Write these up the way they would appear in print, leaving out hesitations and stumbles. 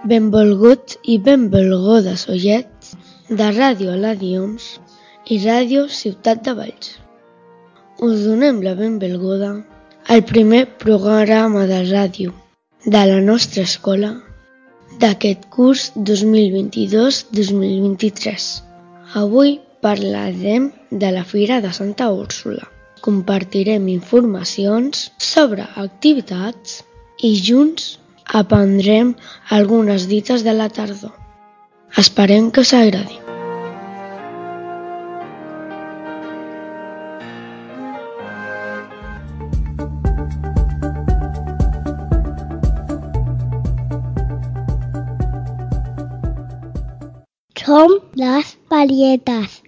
Benvolguts i benvolgudes oients de Ràdio Aladiums i Ràdio Ciutat de Valls. Us donem la benvinguda al primer programa de ràdio de la nostra escola d'aquest curs 2022-2023. Avui parlarem de la Fira de Santa Úrsula. Compartirem informacions sobre activitats i junts aprendrem algunes dites de la tardor. Esperem que us agradi. Som les Parietes.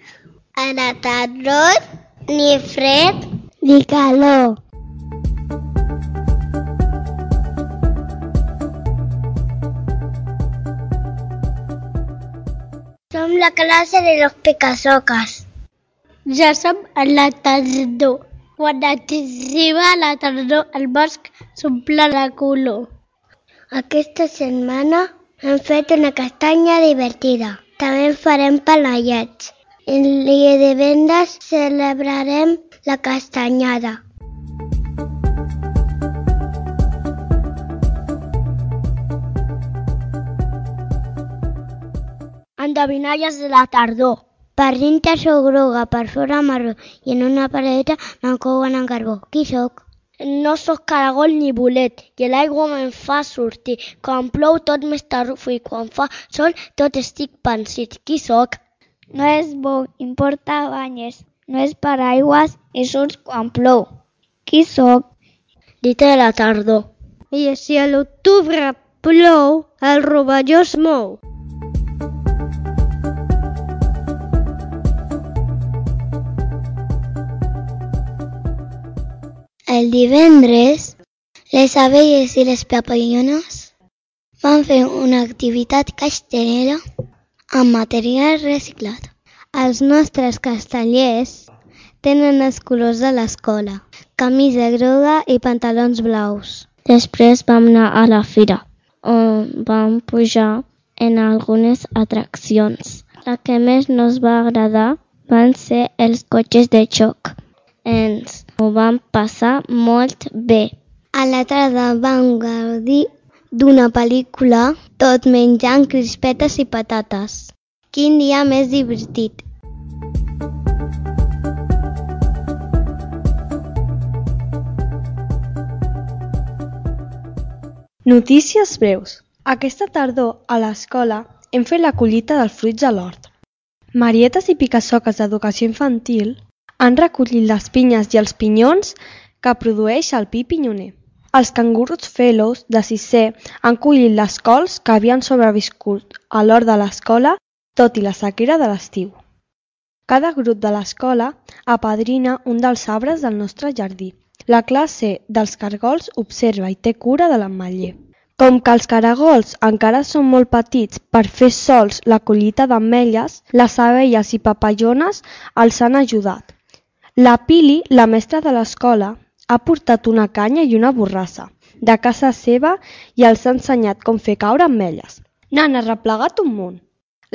A la tardor, ni fred ni calor. Som la classe de los Picassoques. Ja som a la tardor. Quan arriba la tardor, el bosc s'omple de color. Aquesta setmana hem fet una castanya divertida. També farem panellets. El dia de vendes celebrarem la castanyada. Endevinalles de la tardor. Per dintre sou groga, per fora marró, i en una paradeta me'n couen en carbó. Qui sóc? No sóc caragol ni bolet, i l'aigua me'n fa sortir. Quan plou tot m'estarrufo i quan fa sol tot estic pansit. Qui sóc? No és bo, importa banyes. No és paraigües i surts quan plou. Qui sóc? Dita de la tardor. I si a l'octubre plou, el rovelló es mou. El divendres, les abelles i les papallones van fer una activitat castellera amb material reciclat. Els nostres castellers tenen els colors de l'escola, camisa groga i pantalons blaus. Després vam anar a la fira, on vam pujar en algunes atraccions. La que més nos va agradar van ser els cotxes de xoc. Ens ho vam passar molt bé. A la tarda vam gaudir d'una pel·lícula tot menjant crispetes i patates. Quin dia més divertit! Notícies breus. Aquesta tardor a l'escola hem fet la collita dels fruits a l'hort. Marietes i Picassoques d'Educació Infantil han recollit les pinyes i els pinyons que produeix el pi pinyoner. Els cangurus fellows de 6è han collit les cols que havien sobreviscut a l'hort de l'escola tot i la sequera de l'estiu. Cada grup de l'escola apadrina un dels arbres del nostre jardí. La classe dels caragols observa i té cura de l'ametller. Com que els caragols encara són molt petits per fer sols la collita d'ametlles, les abelles i papallones els han ajudat. La Pili, la mestra de l'escola, ha portat una canya i una borrassa de casa seva i els ha ensenyat com fer caure ametlles. N'han arreplegat un munt.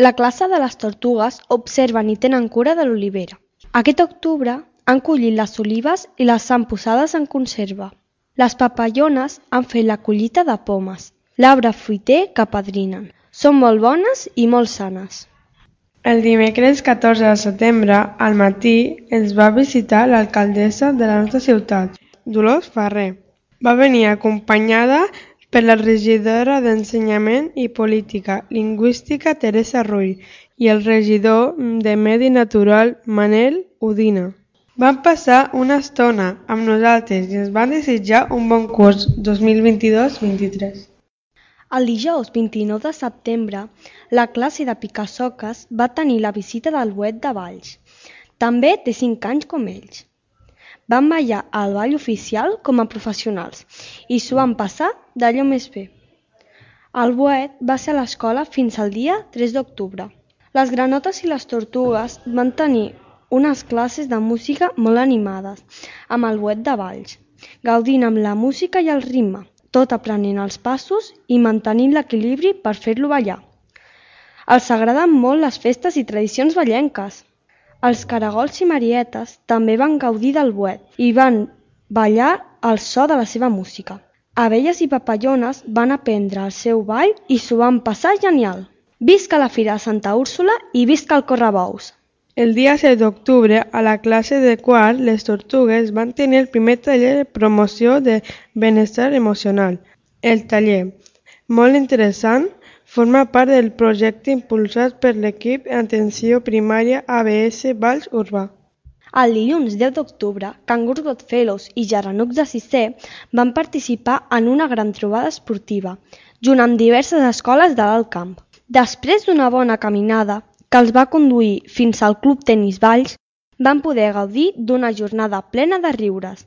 La classe de les tortugues observen i tenen cura de l'olivera. Aquest octubre han collit les olives i les han posades en conserva. Les papallones han fet la collita de pomes, l'arbre fruiter que apadrinen. Són molt bones i molt sanes. El dimecres 14 de setembre, al matí, ens va visitar l'alcaldessa de la nostra ciutat, Dolors Ferrer. Va venir acompanyada per la regidora d'Ensenyament i Política Lingüística, Teresa Rull, i el regidor de Medi Natural, Manel Udina. Van passar una estona amb nosaltres i ens van desitjar un bon curs 2022-23. El dijous 29 de setembre, la classe de Picassoques va tenir la visita del Boet de Valls. També té 5 anys com ells. Van ballar al ball oficial com a professionals i s'ho van passar d'allò més bé. El Boet va ser a l'escola fins al dia 3 d'octubre. Les granotes i les tortugues van tenir unes classes de música molt animades amb el Boet de Valls, gaudint amb la música i el ritme. tot aprenent els passos i mantenint l'equilibri per fer-lo ballar. Els agraden molt les festes i tradicions ballenques. Els caragols i marietes també van gaudir del boet i van ballar al so de la seva música. Abelles i papallones van aprendre el seu ball i s'ho van passar genial. Visca la Fira de Santa Úrsula i visca el correbous! El dia 7 d'octubre, a la classe de quart, les tortugues van tenir el primer taller de promoció de benestar emocional. El taller, molt interessant, forma part del projecte impulsat per l'equip Atenció Primària ABS Valls Urbà. El dilluns 10 d'octubre, Cangurs Godfellows i Geranucs de Sisè van participar en una gran trobada esportiva, junt amb diverses escoles de l'Alt Camp. Després d'una bona caminada, que els va conduir fins al Club Tenis Valls, van poder gaudir d'una jornada plena de riures,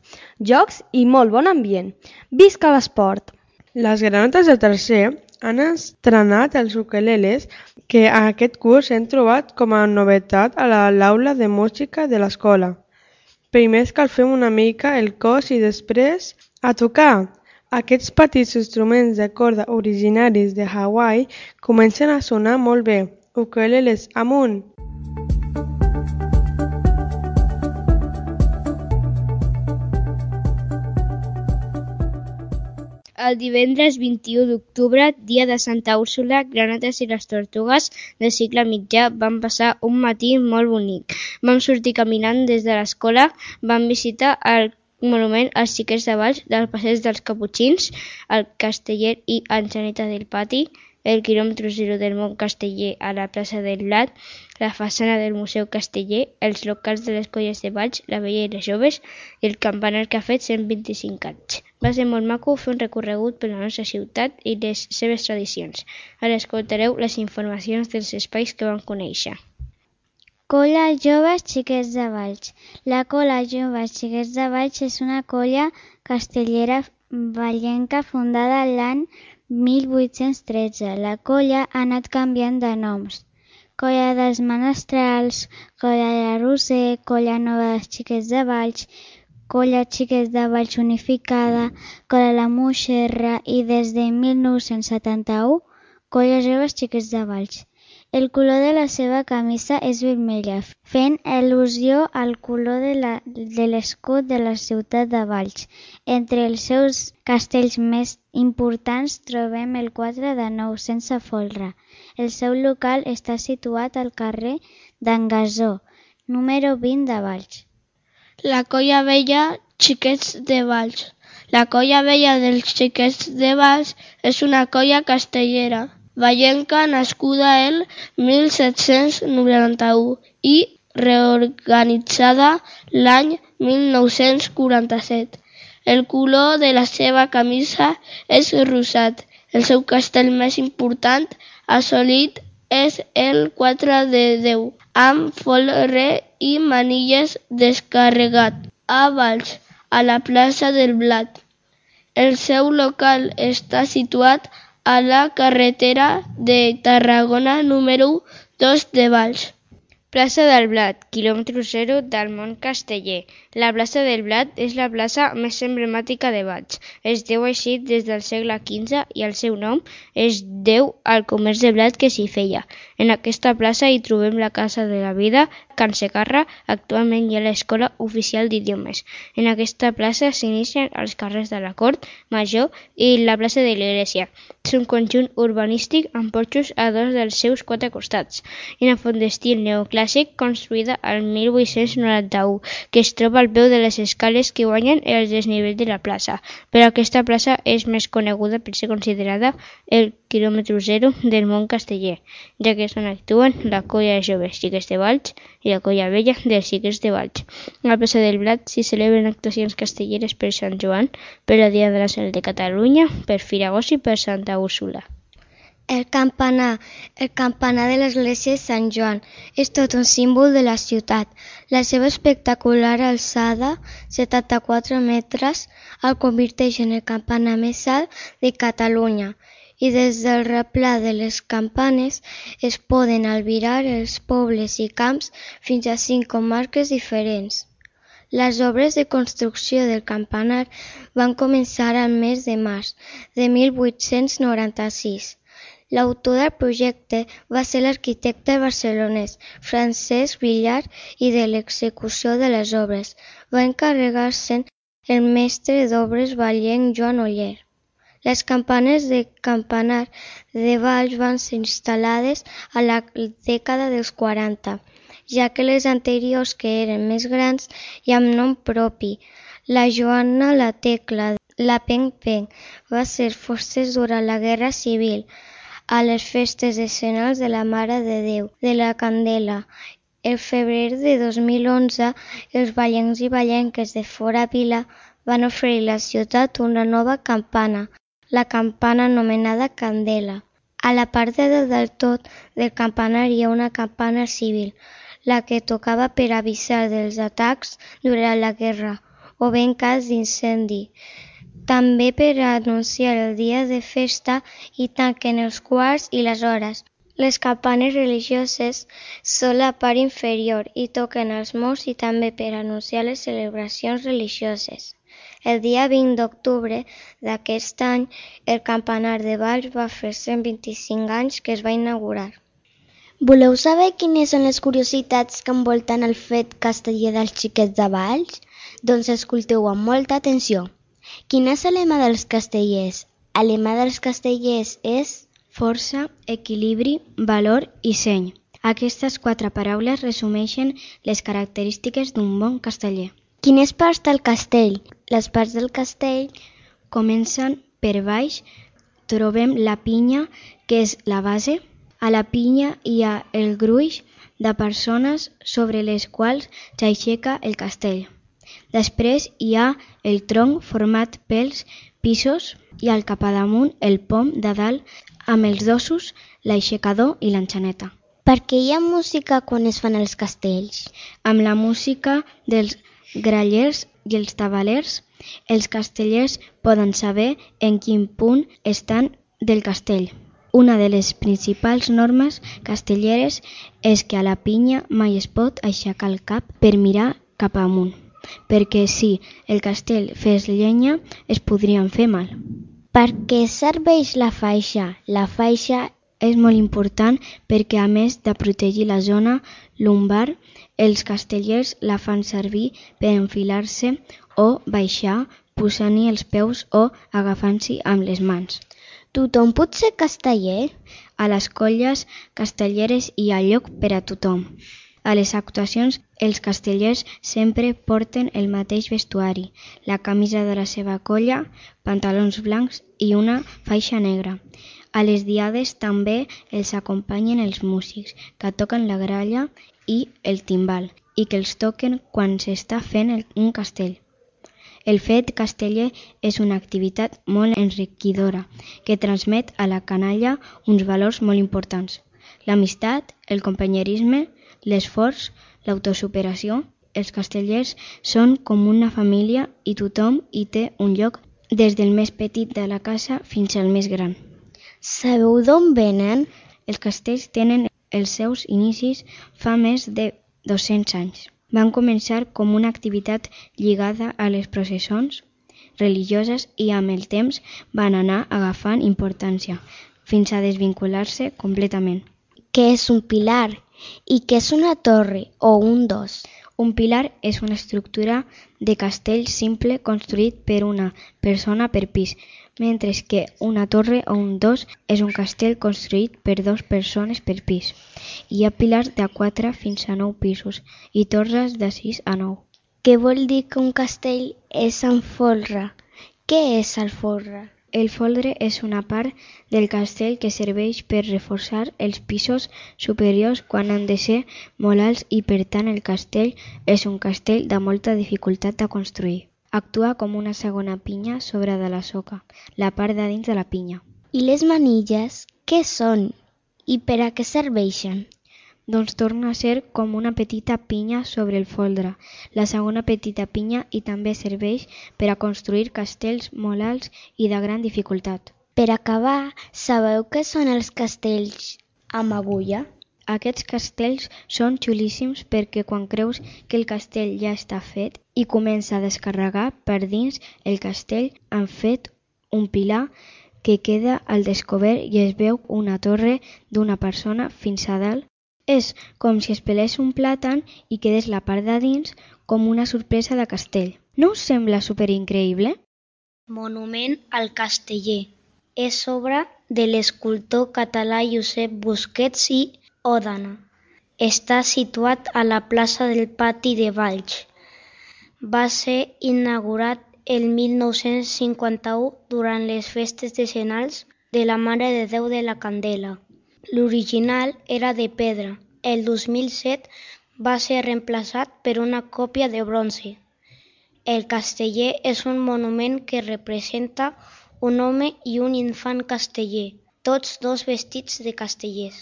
jocs i molt bon ambient. Visca l'esport! Les granotes de tercer han estrenat els ukeleles que aquest curs hem trobat com a novetat a l'aula de música de l'escola. Primer escalfem una mica el cos i després a tocar! Aquests petits instruments de corda originaris de Hawaii comencen a sonar molt bé. Ukeleles amunt! El divendres 21 d'octubre, dia de Santa Úrsula, Granotes i les Tortugues de cicle mitjà van passar un matí molt bonic. Vam sortir caminant des de l'escola, vam visitar el monument als Xiquets de Valls, del Passeig dels Caputxins, el Casteller i Anxaneta del Pati, el quilòmetre 0 del Mont Casteller a la plaça del Blat, la façana del Museu Casteller, els locals de les colles de Valls, la Vella i les Joves, i el campanar que ha fet 125 anys. Va ser molt maco fer un recorregut per la nostra ciutat i les seves tradicions. Ara escoltareu les informacions dels espais que vam conèixer. Colla Joves Xiquets de Valls. La Colla Joves Xiquets de Valls és una colla castellera vallenca fundada l'any 1813. La colla ha anat canviant de noms. Colla dels Menestrals, Colla de la Roser, Colla Nova dels Xiquets de Valls, Colla Xiquets de Valls Unificada, Colla la Moixerra i des de 1971, Colla Joves Xiquets de Valls. El color de la seva camisa és vermella, fent al·lusió al color de l'escut de la ciutat de Valls. Entre els seus castells més importants trobem el 4 de Nou sense folre. El seu local està situat al carrer d'en Gasó, número 20 de Valls. La Colla Vella Xiquets de Valls. La Colla Vella dels Xiquets de Valls és una colla castellera vallenca nascuda el 1791 i reorganitzada l'any 1947. El color de la seva camisa és rosat. El seu castell més important assolit és el 4 de 10, amb folre i manilles descarregat, a Valls, a la plaça del Blat. El seu local està situat a la carretera de Tarragona número 2 de Valls. Plaça del Blat, quilòmetre 0 del Mont Casteller. La plaça del Blat és la plaça més emblemàtica de Valls. Es deu així des del segle XV i el seu nom es deu al comerç de blat que s'hi feia. En aquesta plaça hi trobem la Casa de la Vida, Can Segarra, actualment hi ha l'Escola Oficial d'Idiomes. En aquesta plaça s'inicien els carrers de la Cort Major i la plaça de l'Església. És un conjunt urbanístic amb porxos a dos dels seus quatre costats i una font d'estil neoclàssic construïda al 1891, que es troba al peu de les escales que guanyen el desnivell de la plaça. Però aquesta plaça és més coneguda per ser considerada el quilòmetre 0 del Mont Casteller, ja que és on actuen la Colla de Joves Xiquets de Valls i la Colla Vella dels Xiquets de Valls. A la plaça del Blat s'hi celebren actuacions castelleres per Sant Joan, per la Diada Nacional de Catalunya, per Firagós i per Santa Úrsula. El campanar de l'església de Sant Joan és tot un símbol de la ciutat. La seva espectacular alçada, 74 metres, el converteix en el campanar més alt de Catalunya i des del replà de les campanes es poden albirar els pobles i camps fins a 5 comarques diferents. Les obres de construcció del campanar van començar al mes de març de 1896. L'autor del projecte va ser l'arquitecte barcelonès Francesc Villar i de l'execució de les obres va encarregar-se'n el mestre d'obres vallenc Joan Oller. Les campanes de campanar de Valls van ser instal·lades a la dècada dels 40, ja que les anteriors, que eren més grans i amb nom propi, la Joana, la Tecla, la Peng-Peng, va ser fosses durant la Guerra Civil, a les festes decenals de la Mare de Déu de la Candela. El febrer de 2011, els vallencs i vallenques de fora vila van oferir a la ciutat una nova campana, la campana anomenada Candela. A la part de dalt del tot del campanar hi ha una campana civil, la que tocava per avisar dels atacs durant la guerra o bé en cas d'incendi. També per anunciar el dia de festa i tanquen els quarts i les hores. Les campanes religioses són la part inferior i toquen els morts i també per anunciar les celebracions religioses. El dia 20 d'octubre d'aquest any, el campanar de Valls va fer 125 anys que es va inaugurar. Voleu saber quines són les curiositats que envolten el fet casteller dels xiquets de Valls? Doncs escolteu amb molta atenció. Quin és el lema dels castellers? El lema dels castellers és força, equilibri, valor i seny. Aquestes 4 paraules resumeixen les característiques d'un bon casteller. Quines parts té el castell? Les parts del castell comencen per baix, trobem la pinya, que és la base. A la pinya hi ha el gruix de persones sobre les quals s'aixeca el castell. Després hi ha el tronc format pels pisos i al capdamunt el pom de dalt amb els dosos, l'aixecador i l'enxaneta. Per què hi ha música quan es fan els castells? Amb la música dels grallers i els tabalers, els castellers poden saber en quin punt estan del castell. Una de les principals normes castelleres és que a la pinya mai es pot aixecar el cap per mirar cap amunt, perquè si el castell fes llenya es podrien fer mal. Per què serveix la faixa? La faixa és molt important perquè a més de protegir la zona lumbar, els castellers la fan servir per enfilar-se o baixar posant-hi els peus o agafant-s'hi amb les mans. Tothom pot ser casteller? A les colles castelleres hi ha lloc per a tothom. A les actuacions, els castellers sempre porten el mateix vestuari, la camisa de la seva colla, pantalons blancs i una faixa negra. A les diades també els acompanyen els músics, que toquen la gralla i el timbal, i que els toquen quan s'està fent un castell. El fet casteller és una activitat molt enriquidora que transmet a la canalla uns valors molt importants. L'amistat, el companyerisme, l'esforç, l'autosuperació. Els castellers són com una família i tothom hi té un lloc, des del més petit de la casa fins al més gran. Sabeu d'on venen? Els castells tenen els seus inicis fa més de 200 anys. Van començar com una activitat lligada a les processons religioses i amb el temps van anar agafant importància fins a desvincular-se completament. Què és un pilar? I què és una torre o un dos? Un pilar és una estructura de castell simple construït per una persona per pis, mentre que una torre o un dos és un castell construït per 2 persones per pis. Hi ha pilars de 4 fins a 9 pisos i torres de 6 a 9. Què vol dir que un castell és amb folre? Què és el folre? El folre és una part del castell que serveix per reforçar els pisos superiors quan han de ser molt alts i per tant el castell és un castell de molta dificultat de construir. Actua com una segona pinya sobre de la soca, la part de dins de la pinya. I les manilles, què són? I per a què serveixen? Doncs torna a ser com una petita pinya sobre el folre, la segona petita pinya i també serveix per a construir castells molt alts i de gran dificultat. Per acabar, sabeu què són els castells amb agulla? Aquests castells són xulíssims perquè quan creus que el castell ja està fet i comença a descarregar per dins el castell han fet un pilar que queda al descobert i es veu una torre d'una persona fins a dalt. És com si es pelés un plàtan i quedés la part de dins com una sorpresa de castell. No us sembla superincreïble? Monument al Casteller. És obra de l'escultor català Josep Busquets i Òdena. Està situat a la plaça del Pati de Valls. Va ser inaugurat el 1951 durant les festes decenals de la Mare de Déu de la Candela. L'original era de pedra. El 2007 va ser reemplaçat per una còpia de bronze. El casteller és un monument que representa un home i un infant casteller, tots dos vestits de castellers.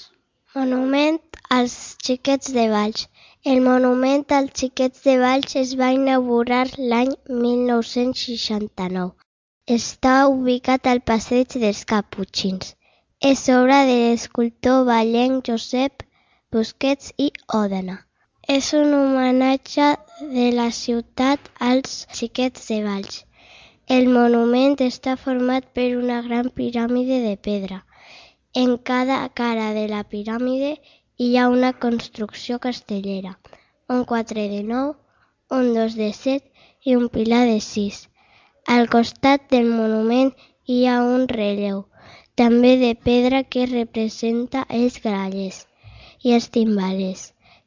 Monument als Xiquets de Valls. El monument als Xiquets de Valls es va inaugurar l'any 1969. Està ubicat al passeig dels Caputxins. És obra de l'escultor vallenc Josep Busquets i Òdena. És un homenatge de la ciutat als Xiquets de Valls. El monument està format per una gran piràmide de pedra. En cada cara de la piràmide hi ha una construcció castellera, un 4 de 9, un 2 de 7 i un pilar de 6. Al costat del monument hi ha un relleu, també de pedra que representa els grallers i els timbalers,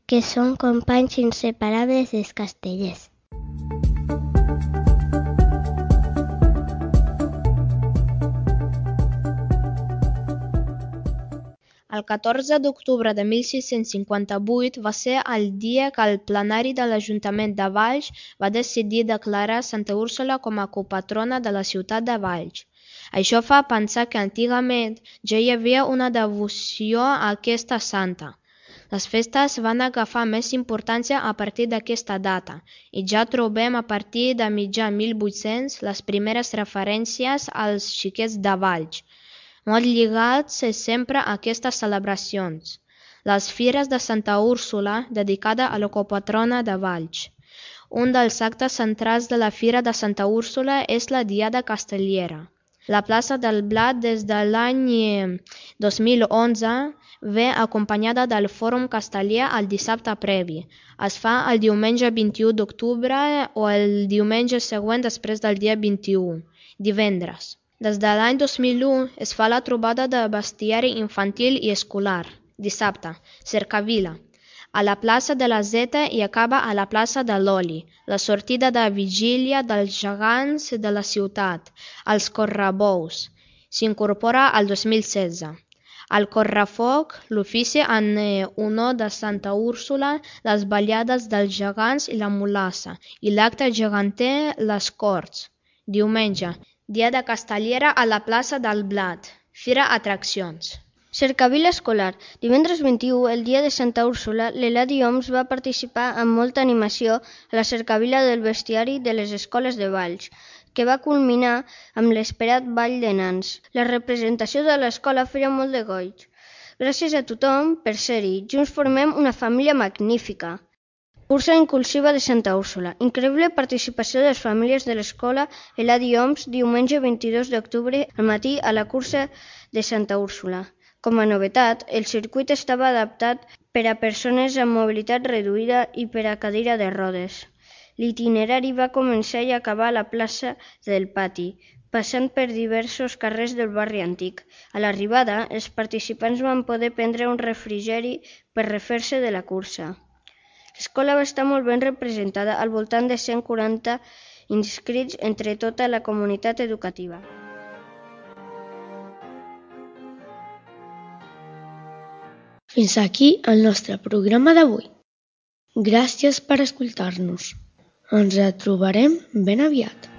que són companys inseparables dels castellers. El 14 d'octubre de 1658 va ser el dia que el plenari de l'Ajuntament de Valls va decidir declarar Santa Úrsula com a copatrona de la ciutat de Valls. Això fa pensar que antigament ja hi havia una devoció a aquesta santa. Les festes van agafar més importància a partir d'aquesta data i ja trobem a partir de mitjà 1800 les primeres referències als xiquets de Valls, molt lligats sempre a aquestes celebracions. Les Fires de Santa Úrsula, dedicada a la copatrona de Valls. Un dels actes centrals de la Fira de Santa Úrsula és la Diada Castellera. La plaça del Blat des de l'any 2011 ve acompanyada del Fòrum Casteller el dissabte previ. Es fa el diumenge 21 d'octubre o el diumenge següent després del dia 21, divendres. Des de l'any 2001 es fa la trobada de bestiari infantil i escolar, dissabte, cercavila, a la plaça de la Zeta i acaba a la plaça de l'Oli, la sortida de vigília dels gegants de la ciutat, els correbous. S'incorpora al 2016. Al correfoc, l'ofici en honor de Santa Úrsula, les ballades dels gegants i la mulassa, i l'acte geganter les Corts. Diumenge, Diada Castellera a la plaça del Blat. Fira Atraccions. Cercavila escolar. Divendres 21, el dia de Santa Úrsula, l'Eladi Oms va participar amb molta animació a la cercavila del bestiari de les escoles de Valls, que va culminar amb l'esperat ball de nans. La representació de l'escola feia molt de goig. Gràcies a tothom per ser-hi. Junts formem una família magnífica. Cursa inclusiva de Santa Úrsula. Increïble participació de les famílies de l'escola Eladi Oms diumenge 22 d'octubre al matí a la cursa de Santa Úrsula. Com a novetat, el circuit estava adaptat per a persones amb mobilitat reduïda i per a cadira de rodes. L'itinerari va començar i acabar a la plaça del Pati, passant per diversos carrers del barri antic. A l'arribada, els participants van poder prendre un refrigeri per refer-se de la cursa. L'escola va estar molt ben representada, al voltant de 140 inscrits entre tota la comunitat educativa. Fins aquí el nostre programa d'avui. Gràcies per escoltar-nos. Ens trobarem ben aviat.